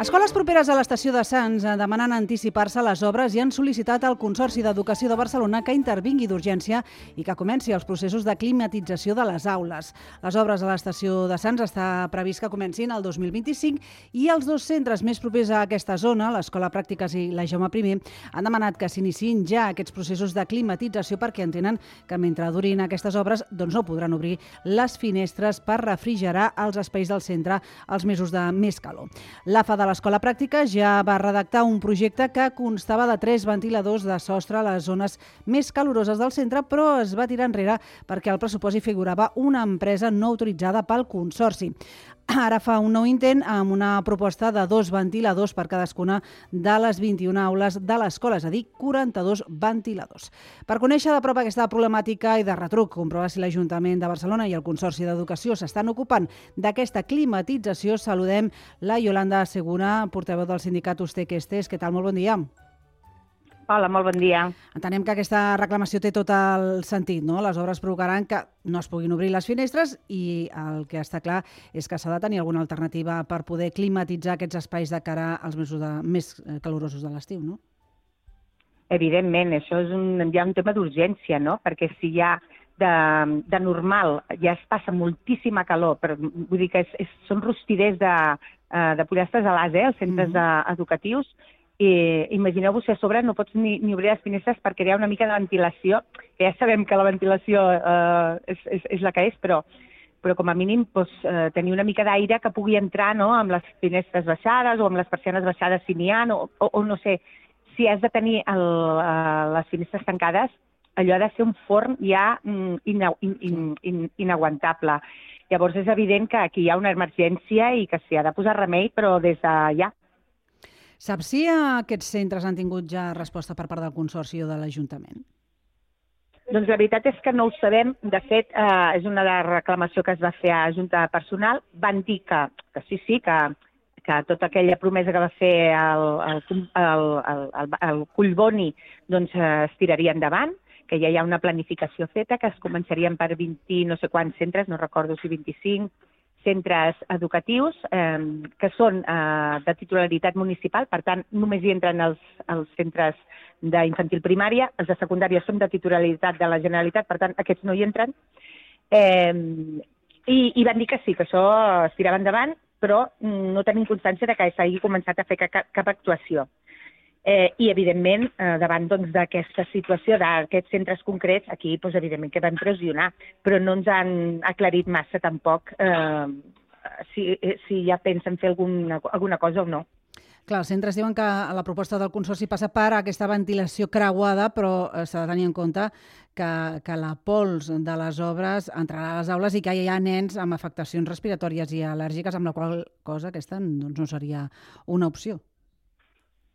Escoles properes a l'estació de Sants demanen anticipar-se a les obres i han sol·licitat al Consorci d'Educació de Barcelona que intervingui d'urgència i que comenci els processos de climatització de les aules. Les obres a l'estació de Sants està previst que comencin el 2025 i els dos centres més propers a aquesta zona, l'Escola Pràctiques i la Jaume I, han demanat que s'iniciïn ja aquests processos de climatització perquè entenen que mentre durin aquestes obres no podran obrir les finestres per refrigerar els espais del centre als mesos de més calor. L'AFA de l'Escola Pràctica ja va redactar un projecte que constava de 3 ventiladors de sostre a les zones més caloroses del centre, però es va tirar enrere perquè al pressupost hi figurava una empresa no autoritzada pel Consorci. Ara fa un nou intent amb una proposta de 2 ventiladors per cadascuna de les 21 aules de l'escola, és a dir, 42 ventiladors. Per conèixer de prop aquesta problemàtica i de retruc, comprovar si l'Ajuntament de Barcelona i el Consorci d'Educació s'estan ocupant d'aquesta climatització, saludem la Yolanda Segura, portaveu del sindicat Ustek-Estes. Què tal? Molt bon dia. Hola, molt bon dia. Entenem que aquesta reclamació té tot el sentit, no? Les obres provocaran que no es puguin obrir les finestres i el que està clar és que s'ha de tenir alguna alternativa per poder climatitzar aquests espais de cara als mesos més calorosos de l'estiu, no? Evidentment, això és ja un tema d'urgència, no? Perquè si ja de normal ja es passa moltíssima calor, però vull dir que són rostiders de pollastres a l'as, els centres educatius. Imagineu-vos si a sobre no pots ni obrir les finestres perquè hi ha una mica de ventilació, que ja sabem que la ventilació és la que és, però com a mínim tenir una mica d'aire que pugui entrar amb les finestres baixades o amb les persianes baixades si n'hi ha, o no sé, si has de tenir les finestres tancades, allò ha de ser un forn ja inaguantable. Llavors és evident que aquí hi ha una emergència i que s'hi ha de posar remei, però des de ja. Saps si aquests centres han tingut ja resposta per part del Consorci o de l'Ajuntament? Doncs la veritat és que no ho sabem. De fet, és una reclamació que es va fer a Junta de Personal. Van dir que sí, que tota aquella promesa que va fer el Collboni es tiraria endavant, que ja hi ha una planificació feta, que es començarien per 20 no sé quants centres, no recordo si 25, centres educatius que són de titularitat municipal, per tant, només hi entren els centres d'infantil primària, els de secundària són de titularitat de la Generalitat, per tant, aquests no hi entren. I van dir que sí, que això es tirava endavant, però no tenim constància de que s'hagi començat a fer cap actuació. I, evidentment, davant d'aquesta situació d'aquests centres concrets, aquí, evidentment, que van pressionar, però no ens han aclarit massa, tampoc, si ja pensen fer alguna cosa o no. Clar, els centres diuen que la proposta del Consorci passa per aquesta ventilació creuada, però s'ha de tenir en compte que la pols de les obres entrarà a les aules i que hi ha nens amb afectacions respiratòries i al·lèrgiques, amb la qual cosa aquesta no seria una opció.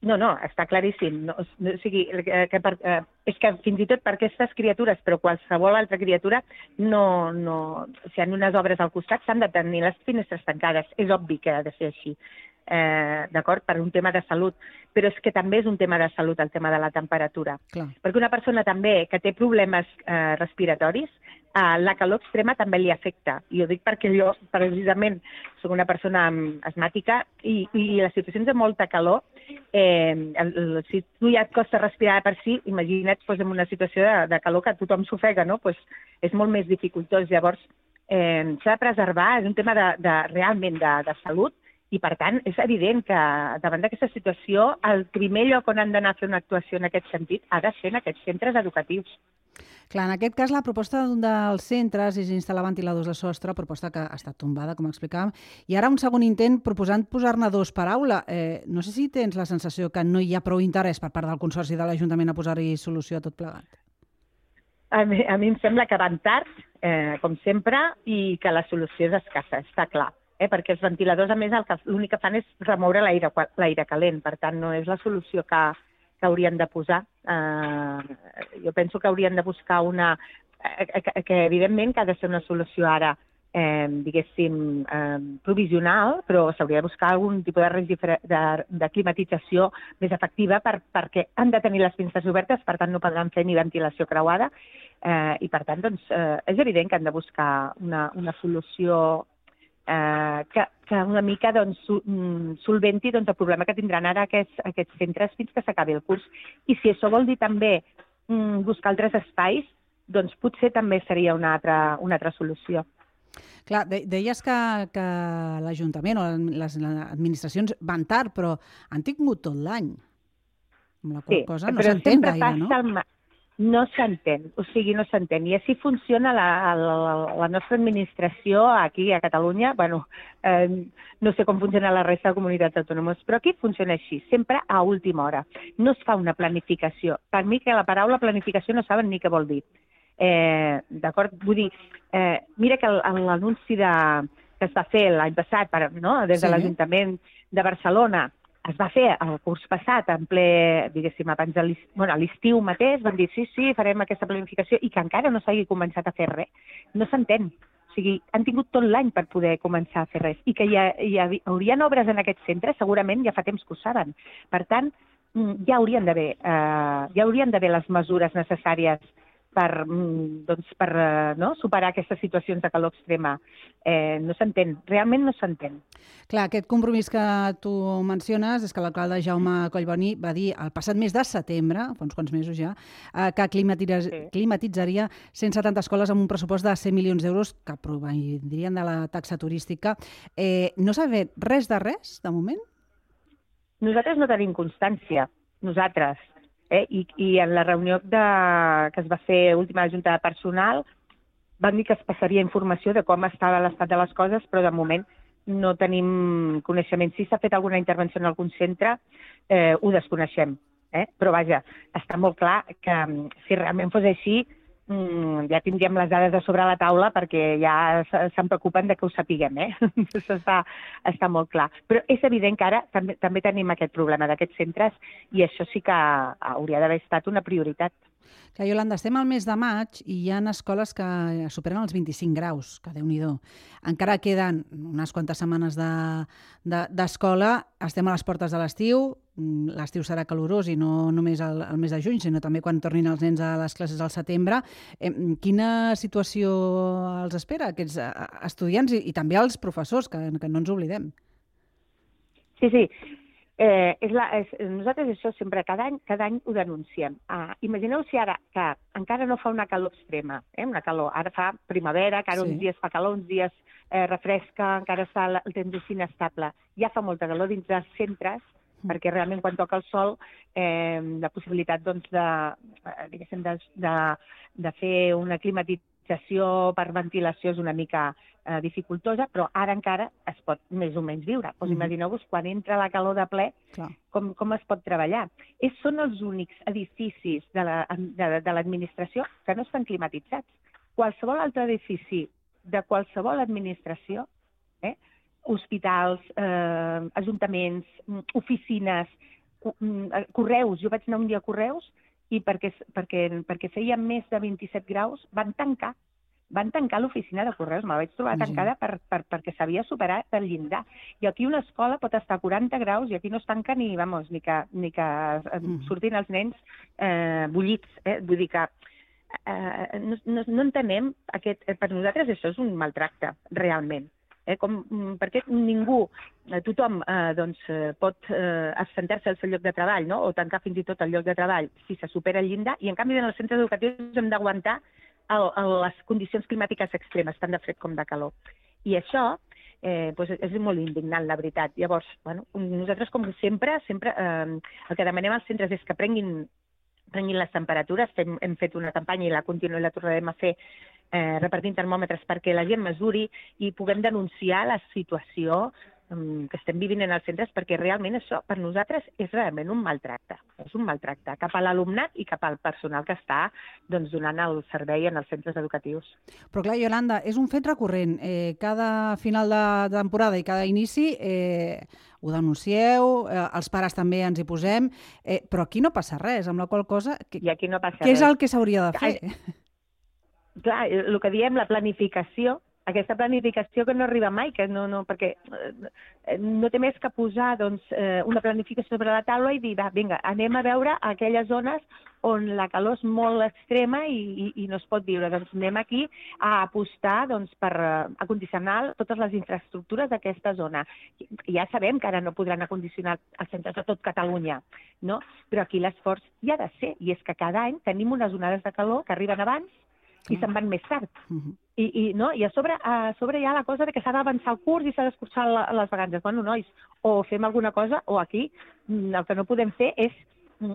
No, està claríssim. O sigui, és que fins i tot per aquestes criatures, però qualsevol altra criatura, si hi ha unes obres al costat, s'han de tenir les finestres tancades. És obvi que ha de ser així, d'acord? Per un tema de salut. Però és que també és un tema de salut, el tema de la temperatura. Clar. Perquè una persona també que té problemes respiratoris, la calor extrema també li afecta. I ho dic perquè jo, precisament, soc una persona asmàtica i les situacions de molta calor, si tu ja et costa respirar per si, imagina't en una situació de calor que tothom s'ofega, no? És molt més dificultós. Llavors, s'ha de preservar, és un tema realment de salut, i, per tant, és evident que davant d'aquesta situació el primer lloc on han d'anar a fer una actuació en aquest sentit ha de ser en aquests centres educatius. Clar, en aquest cas la proposta d'un dels centres és instal·lar ventiladors de sostre, proposta que ha estat tombada, com explicàvem, i ara un segon intent proposant posar-ne 2 per aula. No sé si tens la sensació que no hi ha prou interès per part del Consorci de l'Ajuntament a posar-hi solució a tot plegat. A mi em sembla que van tard, com sempre, i que la solució és escassa, està clar. Perquè els ventiladors, a més, l'únic que fan és remoure l'aire calent. Per tant, no és la solució que haurien de posar. Jo penso que haurien de buscar que evidentment que ha de ser una solució ara, diguéssim, provisional, però s'hauria de buscar algun tipus de climatització més efectiva perquè han de tenir les finestres obertes, per tant no podran fer ni ventilació creuada, i per tant és evident que han de buscar una solució que una mica solventi el problema que tindran ara aquests centres fins que s'acabi el curs. I si això vol dir també buscar altres espais, doncs potser també seria una altra solució. Clar, deies que l'Ajuntament o les administracions van tard, però han tingut tot l'any. Amb la qual cosa no s'entén gaire, no? No s'entén, o sigui, no s'entén. I així funciona la nostra administració aquí a Catalunya. Bueno, no sé com funciona la resta de comunitats autònomes, però aquí funciona així, sempre a última hora. No es fa una planificació. Per mi que la paraula planificació no saben ni què vol dir. D'acord? Vull dir, mira que l'anunci que es va fer l'any passat des de l'Ajuntament de Barcelona es va fer el curs passat, en ple, diguéssim, abans de l'estiu mateix, van dir sí, farem aquesta planificació, i que encara no s'hagi començat a fer res. No s'entén. O sigui, han tingut tot l'any per poder començar a fer res. I que hi haurien obres en aquests centres, segurament ja fa temps que ho saben. Per tant, ja haurien d'haver les mesures necessàries per superar aquestes situacions de calor extrema. No s'entén, realment no s'entén. Clar, aquest compromís que tu menciones és que l'alcalde Jaume Collboni va dir el passat mes de setembre, fa uns quants mesos ja, que climatitzaria 170 escoles amb un pressupost de 100 milions d'euros que provindrien de la taxa turística. No s'ha fet res de moment? Nosaltres no tenim constància, nosaltres. I en la reunió que es va fer última junta de personal van dir que es passaria informació de com estava l'estat de les coses, però de moment no tenim coneixement. Si s'ha fet alguna intervenció en algun centre, ho desconeixem. Però vaja, està molt clar que si realment fos així, ja tindríem les dades a sobre la taula perquè ja se'n preocupen de que ho sapiguem. Això està molt clar. Però és evident que ara també tenim aquest problema d'aquests centres i això sí que hauria d'haver estat una prioritat. Clar, Iolanda, estem al mes de maig i hi ha escoles que superen els 25 graus, que Déu-n'hi-do. Encara queden unes quantes setmanes d'escola, estem a les portes de l'estiu, l'estiu serà calorós i no només el mes de juny, sinó també quan tornin els nens a les classes al setembre. Quina situació els espera aquests estudiants i també els professors, que no ens oblidem? Sí. Nosaltres això sempre, cada any ho denunciem. Imagineu si ara, que encara no fa una calor extrema, una calor, ara fa primavera, que ara uns dies fa calor, uns dies refresca, encara està el temps així inestable. Ja fa molta calor dins dels centres, perquè realment quan toca el sol la possibilitat de fer una climatització per ventilació és una mica dificultosa, però ara encara es pot més o menys viure. Imagineu-vos quan entra la calor de ple, com es pot treballar. Són els únics edificis de l'administració que no estan climatitzats. Qualsevol altre edifici de qualsevol administració, hospitals, ajuntaments, oficines, correus. Jo vaig anar un dia a correus i perquè feia més de 27 graus van tancar l'oficina de correus. Me la vaig trobar tancada perquè s'havia superat el llindar. I aquí una escola pot estar a 40 graus i aquí no es tanca ni que surtin els nens bullits. Vull dir que no entenem per nosaltres això és un maltracte, realment. Perquè tothom pot absentar-se al seu lloc de treball o tancar fins i tot el lloc de treball si se supera el llindar, i en canvi en els centres educatius hem d'aguantar les condicions climàtiques extremes, tant de fred com de calor. I això és molt indignant, la veritat. Llavors, nosaltres, com sempre, el que demanem als centres és que prenguin les temperatures. Hem fet una campanya i la tornarem a fer repartint termòmetres perquè la gent mesuri i puguem denunciar la situació que estem vivint en els centres, perquè realment això per nosaltres és realment un maltracte. És un maltracte cap a l'alumnat i cap al personal que està donant el servei en els centres educatius. Però clar, Iolanda, és un fet recurrent. Cada final de temporada i cada inici ho denuncieu, els pares també ens hi posem, però aquí no passa res, amb la qual cosa... I aquí no passa res. Què és el que s'hauria de fer? Clar, el que diem, la planificació, aquesta planificació que no arriba mai, que perquè no té més que posar una planificació sobre la taula i dir, va, vinga, anem a veure aquelles zones on la calor és molt extrema i no es pot viure. Doncs anem aquí a apostar per acondicionar totes les infraestructures d'aquesta zona. Ja sabem que ara no podran acondicionar els centres de tot Catalunya, no? Però aquí l'esforç hi ha de ser, i és que cada any tenim unes onades de calor que arriben abans i se'n van més tard. I a sobre hi ha la cosa de que s'ha d'avançar el curs i s'ha d'escurçar les vacances. Bueno, nois, o fem alguna cosa, o aquí el que no podem fer és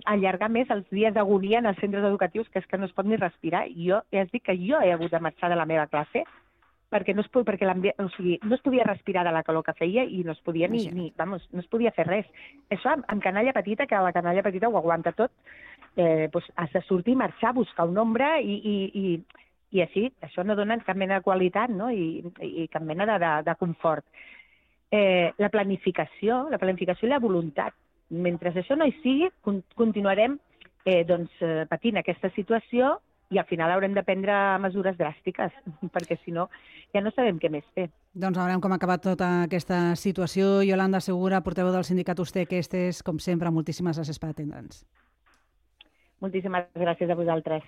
allargar més els dies d'agonia en els centres educatius, que és que no es pot ni respirar. Jo ja us dic que jo he hagut de marxar de la meva classe perquè no es podia respirar de la calor que feia i no es podia no es podia fer res. Això amb canalla petita, que la canalla petita ho aguanta tot, has de sortir, marxar, buscar una ombra i així, això no dona cap mena de qualitat, no? I cap mena de confort. La planificació i la voluntat. Mentre això no hi sigui, continuarem patint aquesta situació i al final haurem de prendre mesures dràstiques, perquè si no ja no sabem què més fer. Doncs veurem com ha acabat tota aquesta situació. Iolanda Segura, portaveu del sindicat Usted, com sempre, moltíssimes gràcies per atendre'ns. Moltíssimes gràcies a vosaltres.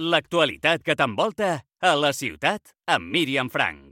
L'actualitat que t'envolta a la ciutat amb Míriam Frank.